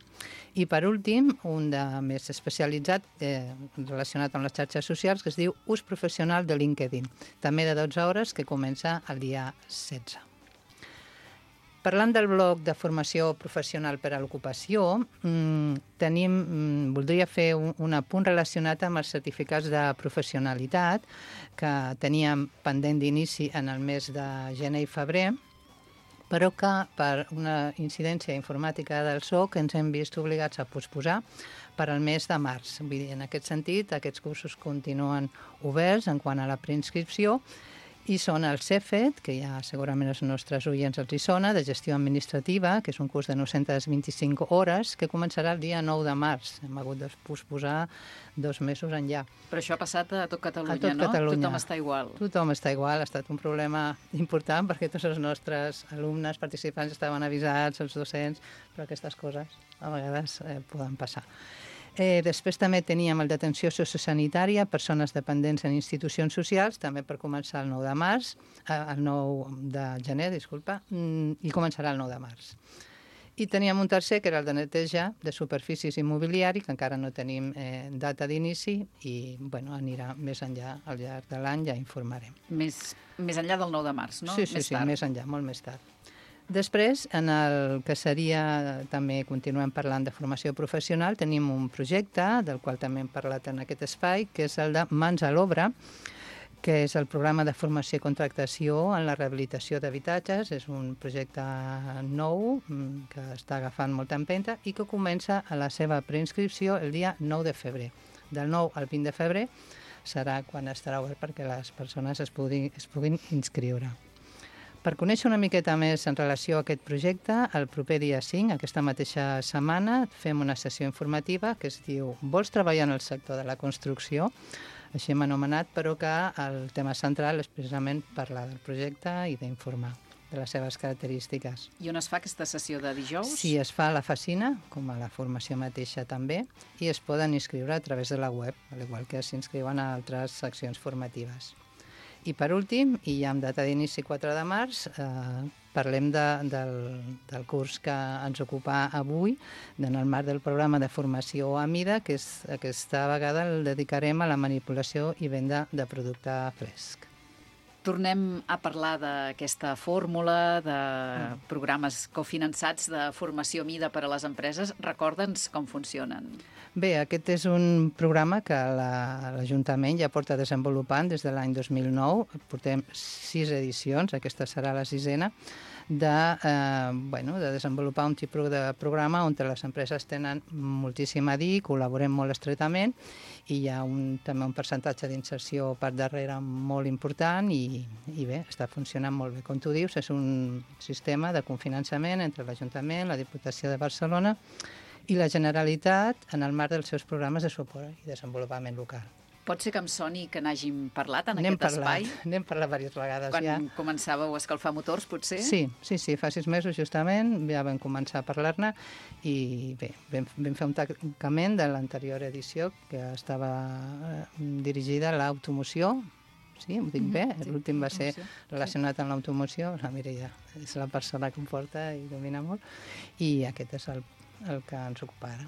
I per últim, un de més especialitzat, eh, relacionat amb les xarxes socials, que es diu Ús Professional de LinkedIn, també de dotze hores, que comença el dia setze. Parlant del bloc de formació professional per a l'ocupació, mmm, tenim, mmm, voldria fer un, un apunt relacionat amb els certificats de professionalitat que teníem pendent d'inici en el mes de gener i febrer, però que per una incidència informàtica del S O C ens hem vist obligats a posposar per al mes de març. Vull dir, en aquest sentit, aquests cursos continuen oberts en quant a la preinscripció, i són el CEFET, que ja segurament els nostres oients els hi sona, de Gestió Administrativa, que és un curs de nou-centes vint-i-cinc hores, que començarà el dia nou de març. Hem hagut de posposar dos mesos enllà. Però això ha passat a tot Catalunya, a tot no? Catalunya. Tothom està igual. Tothom està igual. Ha estat un problema important perquè tots els nostres alumnes, participants, estaven avisats, els docents, però aquestes coses a vegades eh, poden passar. Eh, després també teníem el d'atenció sociosanitària, persones dependents en institucions socials, també per començar el nou de març, eh, el nou de gener, disculpa, i començarà el nou de març. I teníem un tercer, que era el de neteja de superfícies i mobiliari, que encara no tenim eh, data d'inici i bueno, anirà més enllà al llarg de l'any, ja informarem. Més, més enllà del nou de març, no? Sí, sí, més sí, tard. més enllà, molt més tard. Després, en el que seria, també continuem parlant de formació professional, tenim un projecte, del qual també hem parlat en aquest espai, que és el de Mans a l'Obra, que és el programa de formació i contractació en la rehabilitació d'habitatges. És un projecte nou que està agafant molta empenta i que comença a la seva preinscripció el dia nou de febrer. Del nou al vint de febrer serà quan estarà obert perquè les persones es puguin, es puguin inscriure. Per conèixer una miqueta més en relació a aquest projecte, el proper dia cinc, aquesta mateixa setmana, fem una sessió informativa que es diu Vols treballar en el sector de la construcció? Així hem anomenat, però que el tema central és precisament parlar del projecte i d'informar de les seves característiques. I on es fa aquesta sessió de dijous? Sí, es fa a la Facina, com a la formació mateixa també, i es poden inscriure a través de la web, al igual que s'inscriuen a altres seccions formatives. I per últim, i ja amb data d'inici quatre de març, eh, parlem de, del, del curs que ens ocupa avui, en el marc del programa de formació a mida, que és, aquesta vegada el dedicarem a la manipulació i venda de producte fresc. Tornem a parlar d'aquesta fórmula de programes cofinançats de formació a mida per a les empreses. Recorda'ns com funcionen. Bé, aquest és un programa que l'Ajuntament ja porta desenvolupant des de l'any dos mil nou. Portem sis edicions, aquesta serà la sisena, de, eh, bueno, de desenvolupar un tipus de programa on les empreses tenen moltíssim a dir, col·laborem molt estretament i hi ha un, també un percentatge d'inserció per darrere molt important i, i bé, està funcionant molt bé. Com tu dius, és un sistema de cofinançament entre l'Ajuntament, la Diputació de Barcelona i la Generalitat en el marc dels seus programes de suport i desenvolupament local. Pot ser que em soni que n'hàgim parlat en N'hem aquest parlat, espai? N'hem parlat diverses vegades Quan ja. Quan començàveu a escalfar motors, potser? Sí, sí, sí, fa sis mesos justament ja vam començar a parlar-ne i bé, vam, vam fer un tancament de l'anterior edició que estava eh, dirigida a l'automoció. Sí, ho dic bé, sí, l'últim va ser automoció, relacionat amb l'automoció, la Mireia és la persona que em porta i domina molt, i aquest és el, el que ens ocupa ara.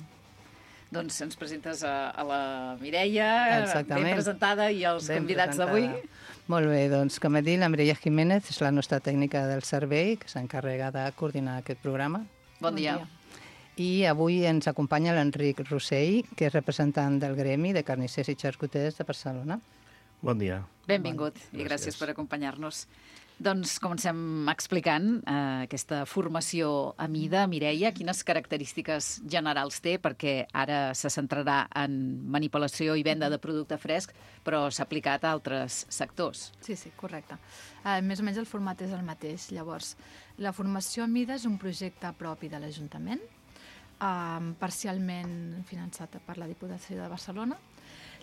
Doncs ens presentes a, a la Mireia, Exactament. ben presentada, i els Ben convidats presentada. d'avui. Molt bé, doncs com he dit, la Mireia Jiménez és la nostra tècnica del servei que s'encarrega de coordinar aquest programa. Bon, bon dia. dia. I avui ens acompanya l'Enric Rossell, que és representant del Gremi de Carnissers i Xarcuters de Barcelona. Bon dia. Benvingut bon, i gràcies per acompanyar-nos. Doncs comencem explicant eh, aquesta formació a mida. Mireia, quines característiques generals té? Perquè ara se centrarà en manipulació i venda de producte fresc, però s'ha aplicat a altres sectors. Sí, sí, correcte. Uh, més o menys el format és el mateix. Llavors, la formació a mida és un projecte propi de l'Ajuntament, uh, parcialment finançat per la Diputació de Barcelona.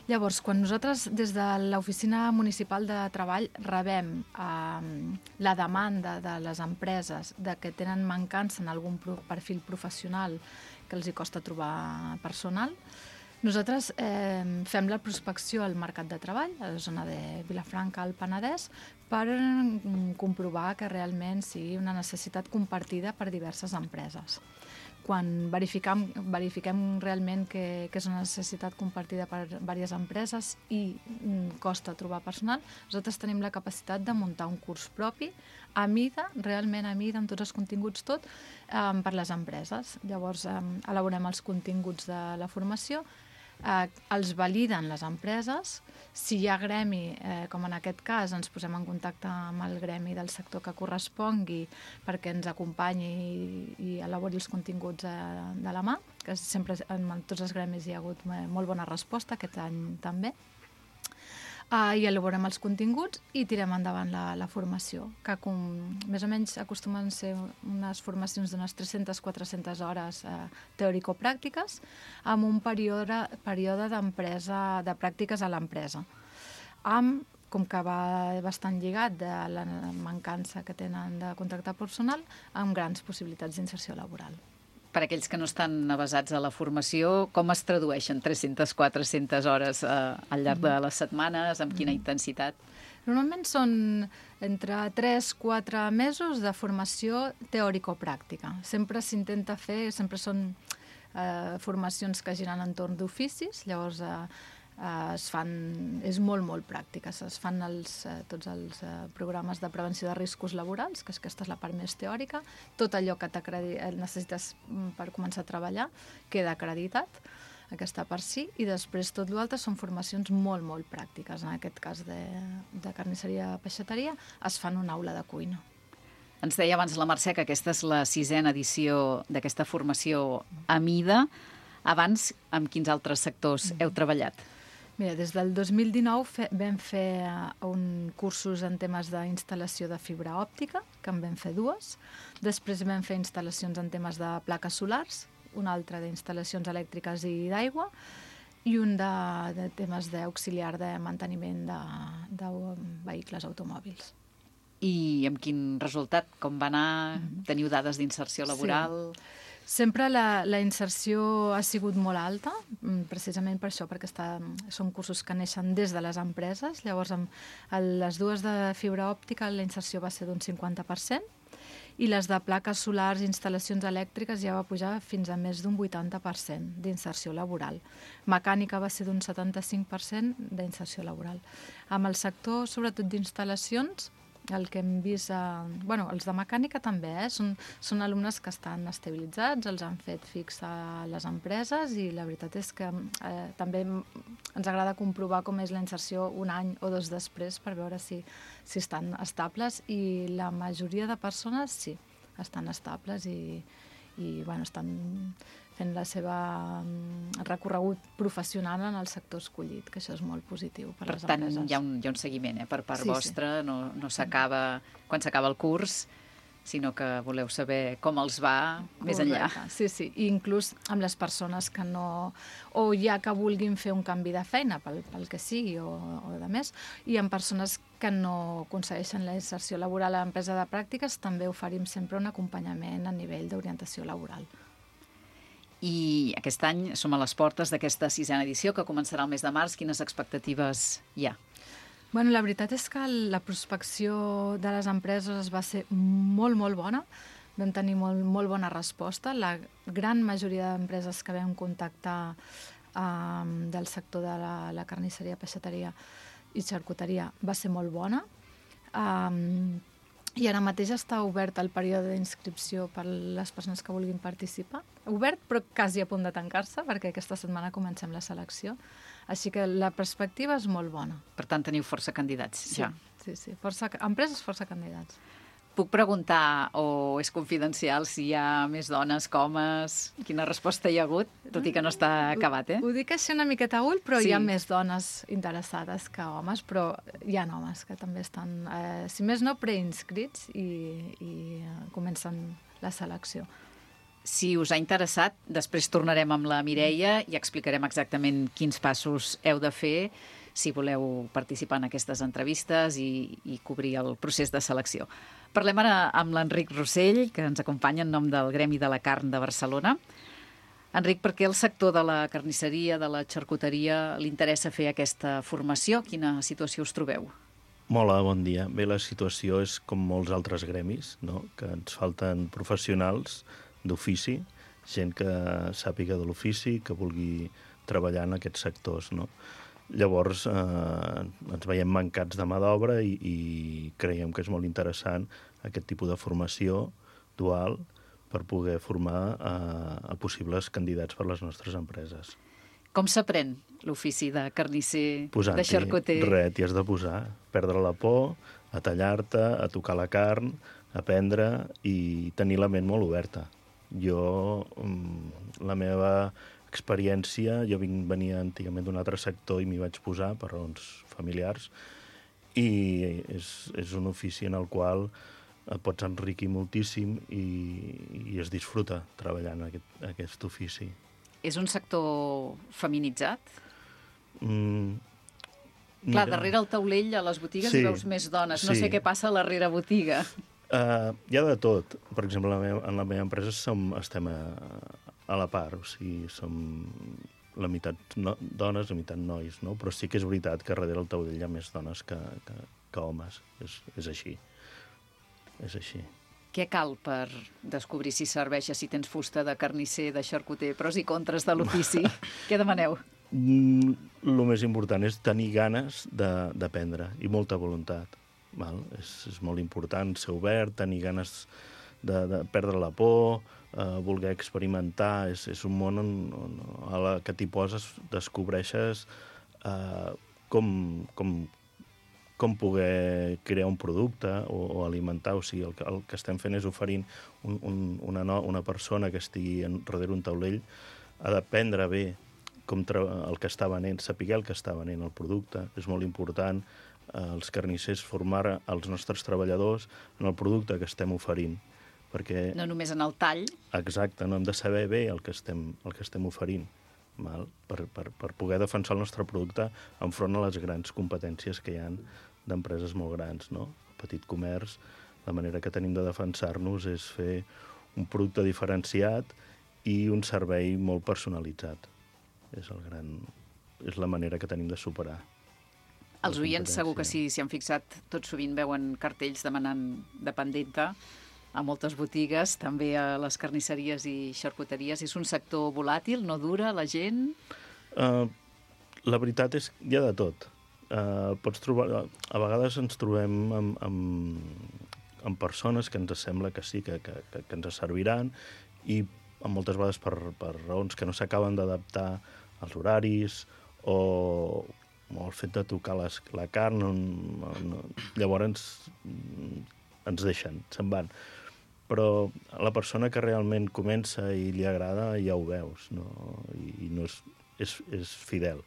Llavors, quan nosaltres des de l'Oficina Municipal de Treball rebem eh, la demanda de les empreses de que tenen mancança en algun perfil professional que els hi costa trobar personal, nosaltres eh, fem la prospecció al mercat de treball, a la zona de Vilafranca, al Penedès, per comprovar que realment sigui una necessitat compartida per diverses empreses. Quan verifiquem, verifiquem realment que, que és una necessitat compartida per diverses empreses i costa trobar personal, nosaltres tenim la capacitat de muntar un curs propi a mida, realment a mida, amb tots els continguts tot, eh, per les empreses. Llavors, eh, elaborem els continguts de la formació, eh, els validen les empreses. Si hi ha gremi, eh, com en aquest cas, ens posem en contacte amb el gremi del sector que correspongui perquè ens acompanyi i, i elabori els continguts eh, de la mà, que sempre en tots els gremis hi ha hagut molt bona resposta, aquest any també. Uh, i elaborem els continguts i tirem endavant la, la formació, que com, més o menys acostumen a ser unes formacions d'unes tres-centes a quatre-centes hores uh, teòrico-pràctiques amb un període, període d'empresa, de pràctiques a l'empresa. Amb, com que va bastant lligat de la mancança que tenen de contractar personal, amb grans possibilitats d'inserció laboral. Per aquells que no estan avasats a la formació, com es tradueixen tres-centes a quatre-centes hores eh, al llarg de les setmanes? Amb quina intensitat? Normalment són entre tres a quatre mesos de formació teòrico-pràctica. Sempre s'intenta fer, sempre són eh, formacions que giren entorn d'oficis, llavors eh, es fan, és molt, molt pràctica. Es fan els, eh, tots els eh, programes de prevenció de riscos laborals, que és, aquesta és la part més teòrica. Tot allò que necessites per començar a treballar queda acreditat, aquesta part sí, i després tot l'altre són formacions molt, molt pràctiques. En aquest cas de, de carnisseria-peixateria es fan una aula de cuina. Ens deia abans la Mercè que aquesta és la sisena edició d'aquesta formació a mida. Abans, amb quins altres sectors heu treballat? Mira, des del dos mil dinou fe, vam fer un cursos en temes d'instal·lació de fibra òptica, que en vam fer dues. Després vam fer instal·lacions en temes de plaques solars, un altre d'instal·lacions elèctriques i d'aigua, i un de, de temes d'auxiliar de manteniment de, de vehicles automòbils. I amb quin resultat? Com va anar? Teniu dades d'inserció laboral? Sí. Sempre la, la inserció ha sigut molt alta, precisament per això, perquè està, són cursos que neixen des de les empreses. Llavors, amb les dues de fibra òptica, la inserció va ser d'un cinquanta per cent, i les de plaques solars i instal·lacions elèctriques ja va pujar fins a més d'un vuitanta per cent d'inserció laboral. Mecànica va ser d'un setanta-cinc per cent d'inserció laboral. Amb el sector, sobretot d'instal·lacions, el que hem vist, eh, bueno, els de mecànica també, eh? són, són alumnes que estan estabilitzats, els han fet fix a les empreses i la veritat és que eh, també ens agrada comprovar com és la inserció un any o dos després per veure si, si estan estables, i la majoria de persones sí, estan estables i, i bueno, estan fent la seva recorregut professional en el sector escollit, que això és molt positiu per, per les tant, empreses. Hi ha un, hi ha un seguiment eh, per part sí, vostra, sí. no, no s'acaba quan s'acaba el curs, sinó que voleu saber com els va més enllà. Sí, sí, i inclús amb les persones que no... o ja que vulguin fer un canvi de feina, pel, pel que sigui, o, o de més, i amb persones que no aconsegueixen la inserció laboral a l'empresa de pràctiques, també oferim sempre un acompanyament a nivell d'orientació laboral. I aquest any som a les portes d'aquesta sisena edició, que començarà el mes de març. Quines expectatives hi ha? Bueno, la veritat és que la prospecció de les empreses va ser molt, molt bona. Vam tenir molt, molt bona resposta. La gran majoria d'empreses que vam contactar eh, del sector de la, la carnisseria, peixateria i xarcuteria va ser molt bona. Eh, I ara mateix està obert el període d'inscripció per les persones que vulguin participar. Obert, però quasi a punt de tancar-se, perquè aquesta setmana comencem la selecció. Així que la perspectiva és molt bona. Per tant, teniu força candidats, sí, ja. Sí, sí. Força, empreses, força candidats. Puc preguntar, o és confidencial, si hi ha més dones que homes? Quina resposta hi ha hagut? Tot i que no està acabat, eh? Ho dic així una miqueta a ull, però sí. Hi ha més dones interessades que homes, però hi ha homes que també estan, eh, si més no, preinscrits i, i comencen la selecció. Si us ha interessat, després tornarem amb la Mireia i explicarem exactament quins passos heu de fer si voleu participar en aquestes entrevistes i, i cobrir el procés de selecció. Parlem ara amb l'Enric Rossell, que ens acompanya en nom del Gremi de la Carn de Barcelona. Enric, per què el sector de la carnisseria, de la xarcuteria, li interessa fer aquesta formació? Quina situació us trobeu? Hola, bon dia. Bé, la situació és com molts altres gremis, no? Que ens falten professionals d'ofici, gent que sàpiga de l'ofici, que vulgui treballar en aquests sectors, no? Llavors, eh, ens veiem mancats de mà d'obra i, i creiem que és molt interessant aquest tipus de formació dual per poder formar eh, a possibles candidats per les nostres empreses. Com s'aprèn l'ofici de carnisser, de xarcuter? Res, t'hi has de posar, perdre la por, a tallar-te, a tocar la carn, aprendre i tenir la ment molt oberta. Jo, la meva experiència, jo vinc, venia antigament d'un altre sector i m'hi vaig posar per raons familiars i és, és un ofici en el qual et pots enriquir moltíssim i, i es disfruta treballant en aquest, aquest ofici. És un sector feminitzat? Mm, Clar, darrere el taulell a les botigues sí, hi veus més dones. No sí. sé què passa a la rere botiga. Uh, hi ha de tot. Per exemple, en la meva, en la meva empresa som, estem a, a la part, o sigui, som la meitat no, dones, la meitat nois, no? Però sí que és veritat que darrere el taulell hi ha més dones que, que, que homes. És, és així. És així. Què cal per descobrir si serveix, si tens fusta de carnisser, de xarcuter, pros i contres de l'ofici? Què demaneu? Mm, el més important és tenir ganes d'aprendre i molta voluntat. Val? És, és molt important ser obert, tenir ganes de, de perdre la por, eh, voler experimentar. És, és un món on, on a la que t'hi poses descobreixes eh, com, com, com poder crear un producte o, o alimentar. O sigui, el, el que estem fent és oferint un, un, una, no, una persona que estigui en, darrere un taulell ha d'aprendre bé com el que està venent, saber el que està venent el producte. És molt important els carnissers formar els nostres treballadors en el producte que estem oferint. Perquè, no només en el tall. Exacte, no hem de saber bé el que estem, el que estem oferint, val? Per, per, per poder defensar el nostre producte enfront a les grans competències que hi ha d'empreses molt grans. No? El petit comerç, la manera que tenim de defensar-nos és fer un producte diferenciat i un servei molt personalitzat. És, el gran, és la manera que tenim de superar. Els oients segur que sí, s'hi han fixat, tot sovint veuen cartells demanant dependenta a moltes botigues, també a les carnisseries i xarcuteries. És un sector volàtil, no dura la gent? Uh, la veritat és que hi ha de tot. Uh, pots trobar, a vegades ens trobem amb, amb, amb persones que ens sembla que sí, que, que, que, que ens serviran i moltes vegades per, per raons que no s'acaben d'adaptar als horaris o... o el fet de tocar les, la carn, no, no, llavors ens, ens deixen, se'n van. Però la persona que realment comença i li agrada ja ho veus, no? I, i no és, és, és fidel,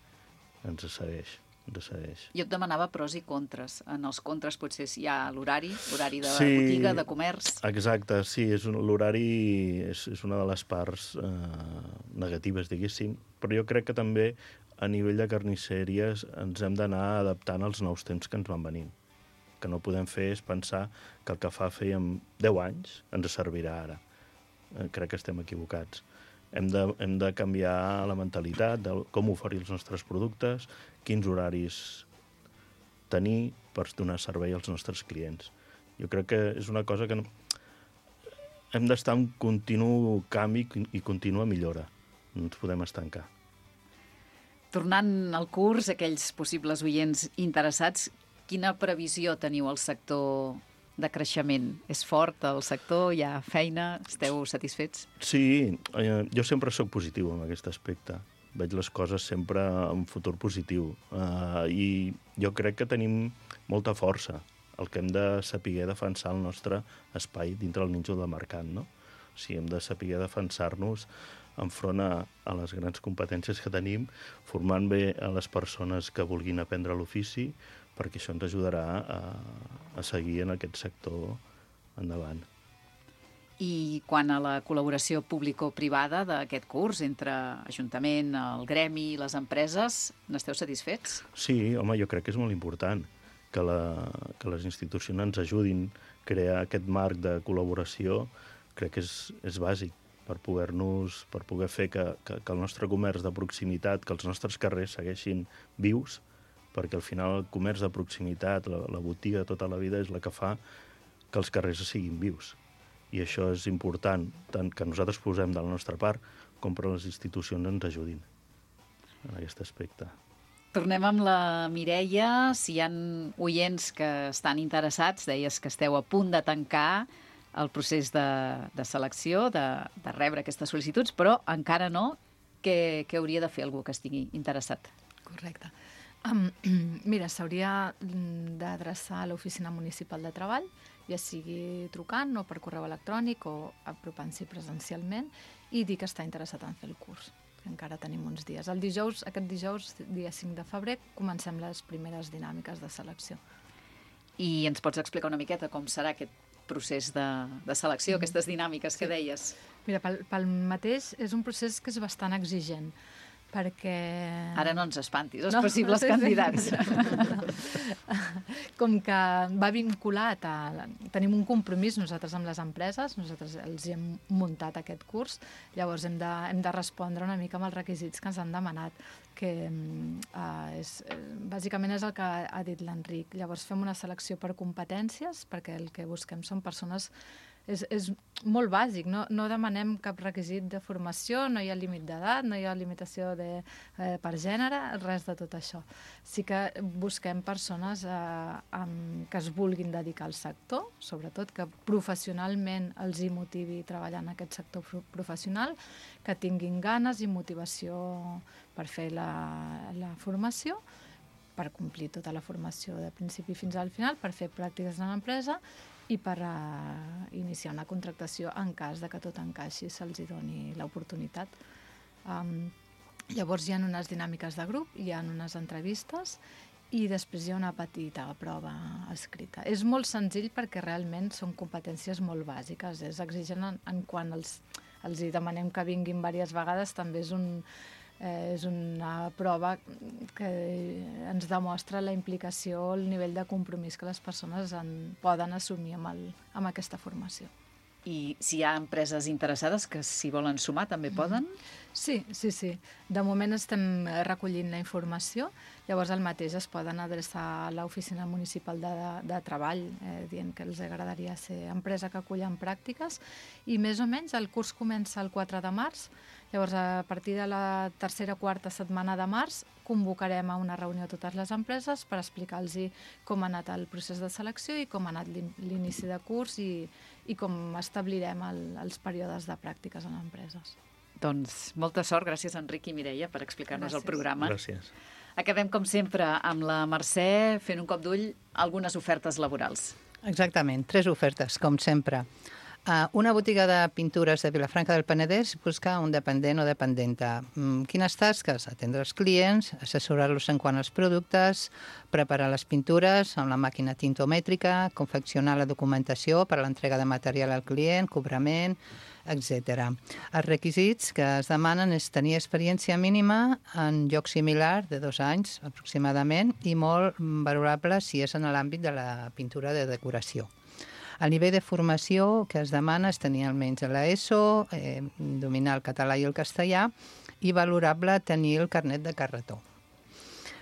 ens segueix, ens segueix. Jo et demanava pros i contres. En els contres potser hi ha l'horari, l'horari de sí, botiga, de comerç. Exacte, sí, l'horari és, és una de les parts eh, negatives, diguéssim, però jo crec que també a nivell de carnisseries ens hem d'anar adaptant als nous temps que ens van venint. Que no podem fer és pensar que el que fa fèiem deu anys ens servirà ara. Eh, crec que estem equivocats. Hem de, hem de canviar la mentalitat de com oferir els nostres productes, quins horaris tenir per donar servei als nostres clients. Jo crec que és una cosa que no... hem d'estar en continu canvi i contínua millora. No ens podem estancar. Tornant al curs, aquells possibles oients interessats, quina previsió teniu al sector de creixement? És fort el sector? Hi ha feina? Esteu satisfets? Sí, eh, jo sempre sóc positiu en aquest aspecte. Veig les coses sempre en futur positiu. Uh, I jo crec que tenim molta força. El que hem de saber defensar el nostre espai dintre el nínxol de mercat, no? O sigui, hem de saber defensar-nos enfront a, a les grans competències que tenim, formant bé a les persones que vulguin aprendre l'ofici, perquè això ens ajudarà a, a seguir en aquest sector endavant. I quan a la col·laboració público-privada d'aquest curs entre Ajuntament, el gremi i les empreses, n'esteu satisfets? Sí, home, jo crec que és molt important que, la, que les institucions ens ajudin a crear aquest marc de col·laboració. Crec que és, és bàsic per poder-nos, per poder fer que, que, que el nostre comerç de proximitat, que els nostres carrers segueixin vius, perquè al final el comerç de proximitat, la, la botiga de tota la vida és la que fa que els carrers siguin vius. I això és important, tant que nosaltres posem de la nostra part, com per les institucions ens ajudin en aquest aspecte. Tornem amb la Mireia. Si hi ha oients que estan interessats, deies que esteu a punt de tancar el procés de, de selecció, de, de rebre aquestes sol·licituds, però encara no. Què, què hauria de fer algú que estigui interessat? Correcte. Um, mira, s'hauria d'adreçar a l'Oficina Municipal de Treball, ja sigui trucant o per correu electrònic o apropant-s'hi presencialment, i dir que està interessat en fer el curs, que encara tenim uns dies. El dijous, aquest dijous, dia cinc de febrer, comencem les primeres dinàmiques de selecció. I ens pots explicar una miqueta com serà aquest procés de, de selecció, mm. aquestes dinàmiques que deies? Mira, pel, pel mateix és un procés que és bastant exigent, perquè... Ara no ens espantis, els no, possibles sí, candidats. Sí. Com que va vinculat a... Tenim un compromís nosaltres amb les empreses, nosaltres els hem muntat aquest curs, llavors hem de, hem de respondre una mica amb els requisits que ens han demanat, que uh, és, bàsicament és el que ha dit l'Enric. Llavors fem una selecció per competències, perquè el que busquem són persones... És, és molt bàsic, no, no demanem cap requisit de formació, no hi ha límit d'edat, no hi ha limitació de, eh, per gènere, res de tot això. Sí que busquem persones eh, amb, que es vulguin dedicar al sector, sobretot que professionalment els hi motivi treballar en aquest sector professional, que tinguin ganes i motivació per fer la, la formació, per complir tota la formació de principi fins al final, per fer pràctiques en l'empresa i per uh, iniciar una contractació en cas de que tot encaixi, se'ls doni l'oportunitat. Um, llavors hi ha unes dinàmiques de grup, hi ha unes entrevistes i després hi ha una petita prova escrita. És molt senzill perquè realment són competències molt bàsiques, és exigent en, en quan els, els hi demanem que vinguin diverses vegades, també és un... Eh, és una prova que ens demostra la implicació, el nivell de compromís que les persones en, poden assumir amb, el, amb aquesta formació. I si hi ha empreses interessades que s'hi volen sumar, també poden? Sí, sí, sí. De moment estem recollint la informació, llavors el mateix es poden adreçar a l'Oficina Municipal de, de, de Treball, eh, dient que els agradaria ser empresa que acullen pràctiques, i més o menys el curs comença el quatre de març, llavors a partir de la tercera o quarta setmana de març convocarem a una reunió a totes les empreses per explicar-los com ha anat el procés de selecció i com ha anat l'inici de curs i, i com establirem el, els períodes de pràctiques en empreses. Doncs molta sort, gràcies Enric i Mireia per explicar-nos el programa. Gràcies. Acabem com sempre amb la Mercè fent un cop d'ull algunes ofertes laborals. Exactament, tres ofertes, com sempre. Uh, una botiga de pintures de Vilafranca del Penedès busca un dependent o dependenta. Mm, quines tasques? Atendre els clients, assessorar-los en quant als productes, preparar les pintures amb la màquina tintomètrica, confeccionar la documentació per a l'entrega de material al client, cobrament, etcètera. Els requisits que es demanen és tenir experiència mínima en lloc similar de dos anys aproximadament i molt valorable si és en l'àmbit de la pintura de decoració. El nivell de formació que es demana és tenir almenys l'ESO, eh, dominar el català i el castellà i valorable tenir el carnet de carretó.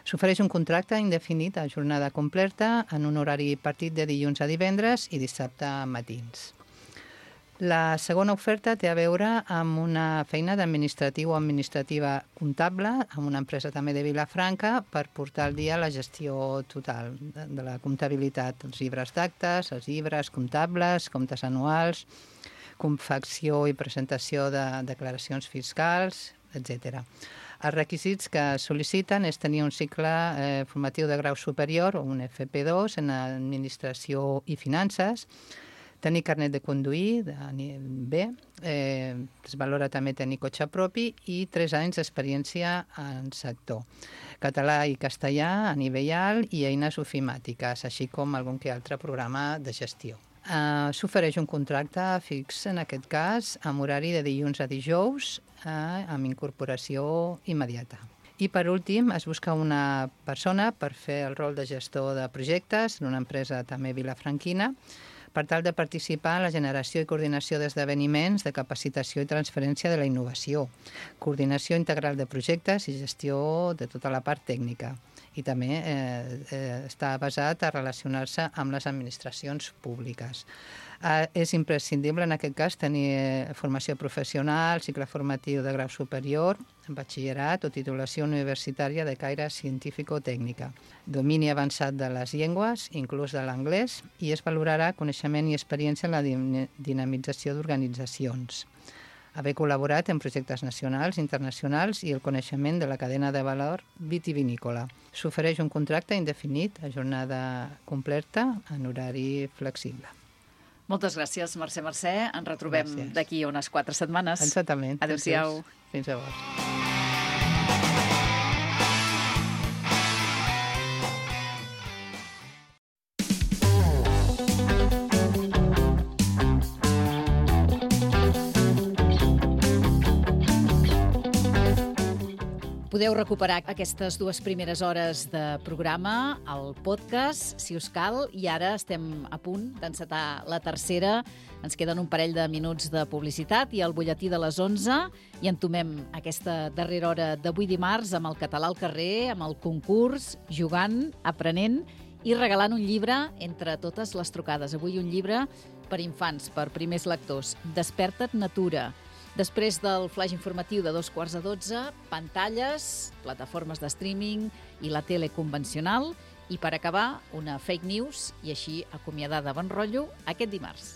S'ofereix un contracte indefinit a jornada completa en un horari partit de dilluns a divendres i dissabte a matins. La segona oferta té a veure amb una feina d'administratiu o administrativa comptable, amb una empresa també de Vilafranca, per portar al dia la gestió total de, de la comptabilitat, els llibres d'actes, els llibres comptables, comptes anuals, confecció i presentació de declaracions fiscals, etcètera. Els requisits que sol·liciten és tenir un cicle eh, formatiu de grau superior o un F P dos en administració i finances, tenir carnet de conduir de B, eh, es valora també tenir cotxe propi i tres anys d'experiència en sector. Català i castellà a nivell alt i eines ofimàtiques, així com algun que altre programa de gestió. Uh, S'ofereix un contracte fix, en aquest cas, amb horari de dilluns a dijous, uh, amb incorporació immediata. I, per últim, es busca una persona per fer el rol de gestor de projectes en una empresa també vilafranquina, per tal de participar en la generació i coordinació d'esdeveniments de capacitació i transferència de la innovació, coordinació integral de projectes i gestió de tota la part tècnica. I també eh, eh, està basat a relacionar-se amb les administracions públiques. Eh, és imprescindible, en aquest cas, tenir eh, formació professional, cicle formatiu de grau superior, batxillerat o titulació universitària de caire científico-tècnica, domini avançat de les llengües, inclús de l'anglès, i es valorarà coneixement i experiència en la dinamització d'organitzacions, haver col·laborat en projectes nacionals, internacionals i el coneixement de la cadena de valor vitivinícola. S'ofereix un contracte indefinit a jornada completa en horari flexible. Moltes gràcies, Mercè Mercè. Ens retrobem d'aquí unes quatre setmanes. Exactament. Adéu-siau. Fins llavors. Podeu recuperar aquestes dues primeres hores de programa al podcast, si us cal, i ara estem a punt d'encetar la tercera. Ens queden un parell de minuts de publicitat i el butlletí de les onze i entomem aquesta darrera hora d'avui dimarts amb el català al carrer, amb el concurs, jugant, aprenent i regalant un llibre entre totes les trucades. Avui un llibre per infants, per primers lectors, Desperta't Natura. Després del flaix informatiu de dos quarts a dotze, pantalles, plataformes de streaming i la tele convencional. I per acabar, una fake news i així acomiadar de bon rotllo aquest dimarts.